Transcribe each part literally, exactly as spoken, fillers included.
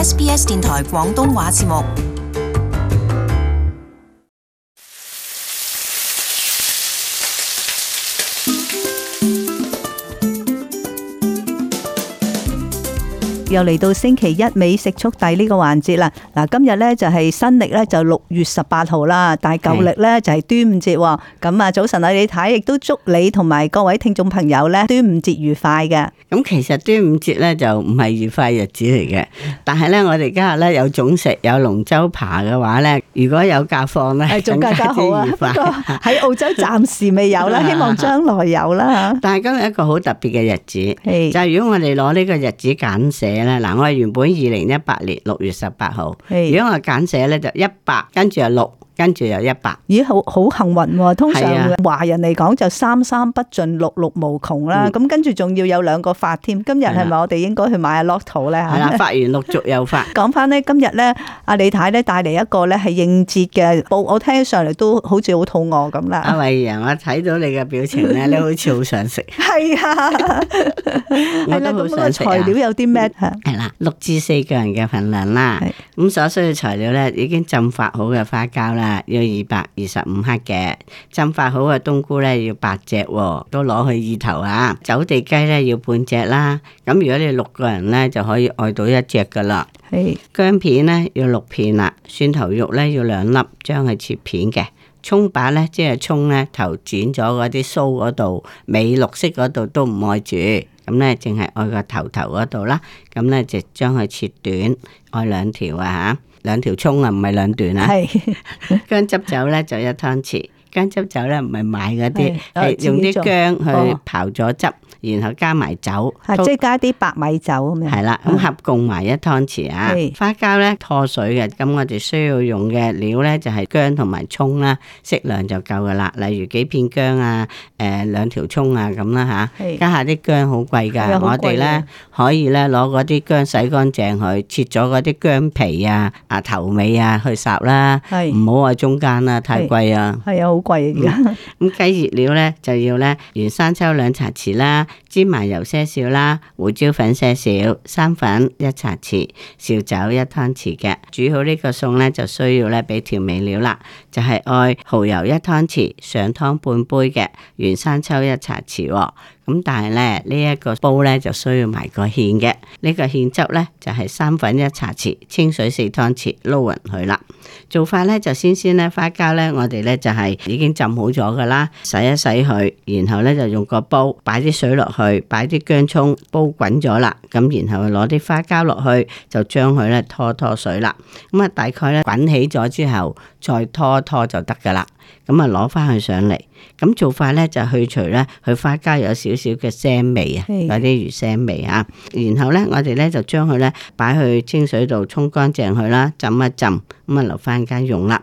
S B S 電台廣東話節目。又嚟到星期一美食速遞呢個環節啦。嗱，今日咧就係新曆咧就六月十八號啦，但係舊曆咧就係端午節。咁啊，早晨啊，李太亦都祝你同埋各位聽眾朋友咧端午節愉快嘅。咁其實端午節咧就唔係愉快日子嚟嘅，但係咧我哋今日咧有粽食有龍舟扒嘅話咧，如果有假放咧，係仲更加好啊！不過喺澳洲暫時未有啦，希望將來有啦。但係今日一個好特別嘅日子，係就係如果我哋攞呢個日子簡寫咧，嗱，我係原本二零一八年六月十八號，如果我簡寫咧就一百，跟住係六。跟住有一百，咦，好好幸運喎！通常啊華人嚟講就三三不盡，六六無窮啦。咁、嗯、跟住仲要有兩個發添。今日係咪我哋應該去買下 lotto 咧？係啦，發完陸續又發。講翻咧，今日咧，阿李太咧帶嚟一個咧係應節嘅報，我聽起上嚟都好似好肚餓咁啦。阿慧仁，我睇到你嘅表情咧，你好似好想食。係啊，我都好想食啊。材料有啲咩？係啦，六至四個人嘅份量啦。咁所需要材料咧，已經浸發好嘅花膠啦。要二百二十五克嘅，浸發好嘅冬菇咧要八隻，都攞去意頭啊！走地雞咧要半隻啦，咁如果你六個人咧就可以愛到一隻噶啦。係薑片咧要六片啦，蒜頭肉咧要兩粒，將佢切片嘅。蔥把咧即係蔥咧頭剪咗嗰啲鬚嗰度，尾綠色嗰度都唔愛住，咁咧淨係愛個頭頭嗰度啦。咁咧就將佢切短，愛兩條啊吓。兩條蔥啊，唔係兩段啊。係薑汁酒咧就一湯匙，薑汁酒咧唔係買嗰啲，係用啲薑去刨咗汁，然後加埋酒，即係加啲白米酒咁樣。係啦，咁合共埋一湯匙啊。花膠咧拖水嘅，咁我哋需要用嘅料咧就係薑同埋蔥啦，適量就夠噶啦。例如幾片薑啊，誒兩條蔥啊咁啦吓，家下啲薑好貴噶，我哋咧可以咧攞嗰啲薑洗乾淨佢，切咗嗰啲薑皮啊。啊頭尾啊去烚啦，唔好話中間啦，太貴啊。係啊，好貴而家。咁雞熱料咧就要咧原生抽兩茶匙啦，芝麻油些少啦，胡椒粉些少，生粉一茶匙，紹酒一湯匙嘅。煮好呢個餸咧就需要咧俾調味料啦，就係愛蠔油一湯匙，上湯半杯嘅，原生抽一茶匙。咁但係咧呢一個煲咧就需要埋個芡嘅，呢個芡汁咧就係生粉一茶匙，清水四湯匙，撈勻佢啦。做法咧就先先咧花膠咧我哋咧就係已經浸好咗噶啦，洗一洗佢，然後咧就用個煲擺啲水落去，擺啲薑蔥煲滾咗啦，咁然後攞啲花膠落去，就將佢咧拖拖水啦。咁啊大概咧滾起咗之後再拖拖就得噶啦。咁啊攞翻佢上嚟，咁做法咧就去除咧佢花膠有少少嘅腥味啊，有啲魚腥味啊。然後咧我哋咧就將佢咧擺去清水度沖乾淨佢啦，浸一浸，咁啊留翻間用啦。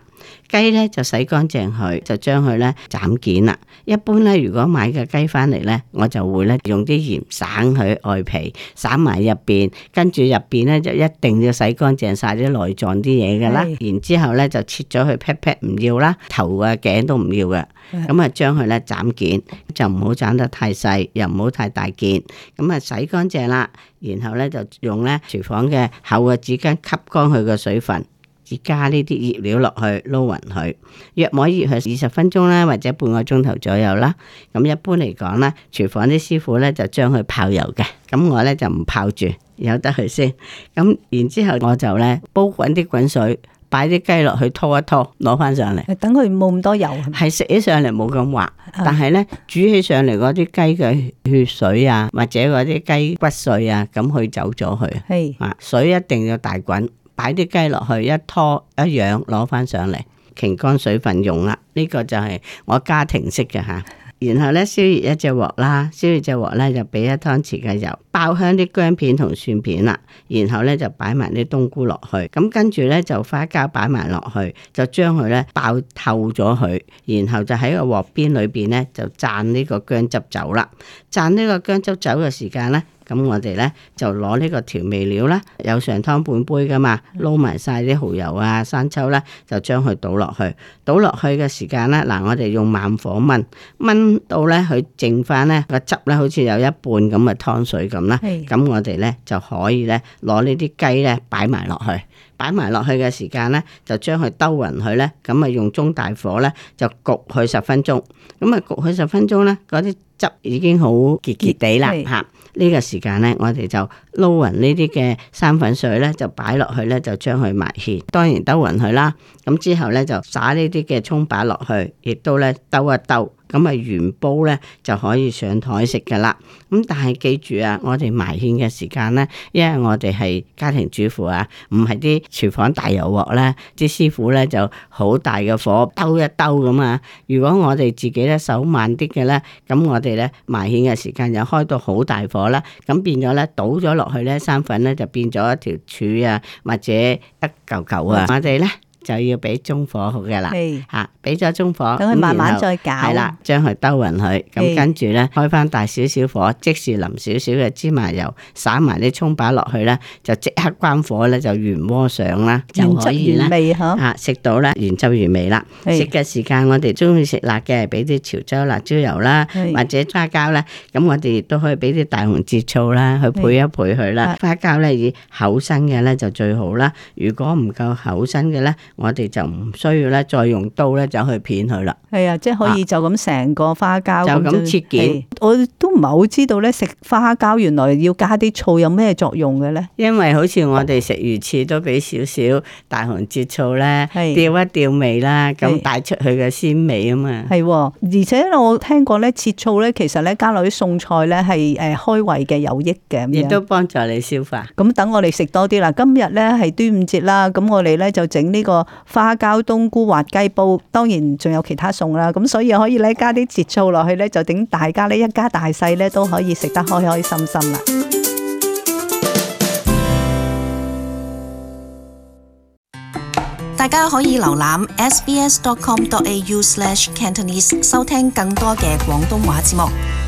雞咧就洗乾淨佢，就將佢咧斬件啦。一般咧如果買嘅雞翻嚟咧，我就會咧用啲鹽省佢外皮，省埋入邊，跟住入邊咧就一定要洗乾淨晒啲內臟啲嘢噶啦。然之後咧就切咗佢劈劈唔要啦，頭啊頸都唔要嘅。咁啊將佢咧斬件，就唔好斬得太細，又唔好太大件。咁啊洗乾淨啦，然後咧就用咧廚房嘅厚嘅紙巾吸乾佢嘅水分。加呢啲醃料落去撈勻佢，約摸醃佢二十分鐘啦，或者半個鐘頭左右啦。咁一般嚟講咧，廚房啲師傅咧就將佢泡油嘅，咁我咧就唔泡住，由得佢先。咁然之後我就咧煲滾啲滾水，擺啲雞落去拖一拖，攞翻上嚟。等佢冇咁多油，係食起上嚟冇咁滑，但係咧煮起上嚟嗰啲雞嘅血水啊，或者嗰啲雞骨碎啊，咁去走咗佢。係啊，水一定要大滾。擺啲雞落去，一拖一養，攞翻上嚟，擎乾水分用啦。呢、這個就係我家庭式嘅吓。然後咧燒熱一隻鑊啦，燒熱隻鑊咧就俾一湯匙嘅油，爆香啲薑片同蒜片啦。然後咧就擺埋啲冬菇落去，咁跟住咧就花膠擺埋落去，就將佢咧爆透咗佢。然後就喺個鑊邊裏邊咧就灒呢個薑汁酒啦。灒呢個薑汁酒嘅時間咧。咁我哋咧就攞呢個調味料啦，有上湯半杯噶嘛，撈埋晒啲蠔油啊、生抽啦，就將佢倒落去。倒落去嘅時間咧，嗱我哋用慢火燜，燜到咧佢剩翻咧個汁咧，好似有一半咁嘅湯水咁啦。咁我哋咧就可以咧攞呢啲雞咧擺埋落去。擺埋落去嘅時間咧，就將佢兜勻佢咧，咁啊用中大火咧就焗佢十分鐘。咁啊焗佢十分鐘咧，嗰啲汁已經好結結地啦嚇。呢個時間咧，我哋就撈勻呢啲嘅生粉水咧，就擺落去咧，就將佢埋芡。當然兜勻佢啦。咁之後咧就撒呢啲嘅葱擺落去，亦都咧兜一兜。咁啊原煲咧就可以上台食噶啦。咁但係記住啊，我哋埋芡嘅時間咧，因為我哋係家庭主婦啊，唔係啲廚房大油鑊咧，啲師傅咧就好大嘅火兜一兜咁啊。如果我哋自己咧手慢啲嘅咧，咁我哋咧埋芡嘅時間又開到好大火啦，咁變咗咧倒咗落去咧生粉咧就變咗一條柱啊，或者一嚿嚿啊，我哋咧就要俾中火好嘅啦，吓俾咗中火，等佢慢慢再攪，係啦，將佢兜勻佢，咁跟住咧開翻大少少火，即時淋少少嘅芝麻油，撒埋啲蔥把落去咧，就即刻關火咧，就原鍋上啦，就可以啦，吓食到咧原汁原味啦。食嘅時間我哋中意食辣嘅，俾啲潮州辣椒油啦，或者花膠咧，咁我哋亦都可以俾啲大紅浙醋啦，去配一配佢啦。花膠咧以厚身嘅咧就最好啦，如果唔夠厚身嘅咧，我哋就唔需要咧，再用刀咧走去片佢啦。係啊，即係可以就咁成個花膠就咁切件。我都唔係好知道咧，食花膠原來要加啲醋有咩作用嘅咧？因為好似我哋食魚翅都俾少少大紅浙醋咧，調一調味啦，咁帶出去嘅鮮味啊嘛。係，而且我聽過咧，切醋咧，其實咧加落啲餸菜咧係誒開胃嘅，有益嘅，亦都幫助你消化。咁等我哋食多啲啦。今日咧係端午節啦，咁我哋咧就整呢個花膠冬菇滑雞煲，當然仲有其他餸啦。咁所以可以咧加啲浙醋落去咧，就等大家咧一家大細咧都可以食得開開心心啦。大家可以瀏覽 s b s dot com dot a u slash cantonese 收聽更多嘅廣東話節目。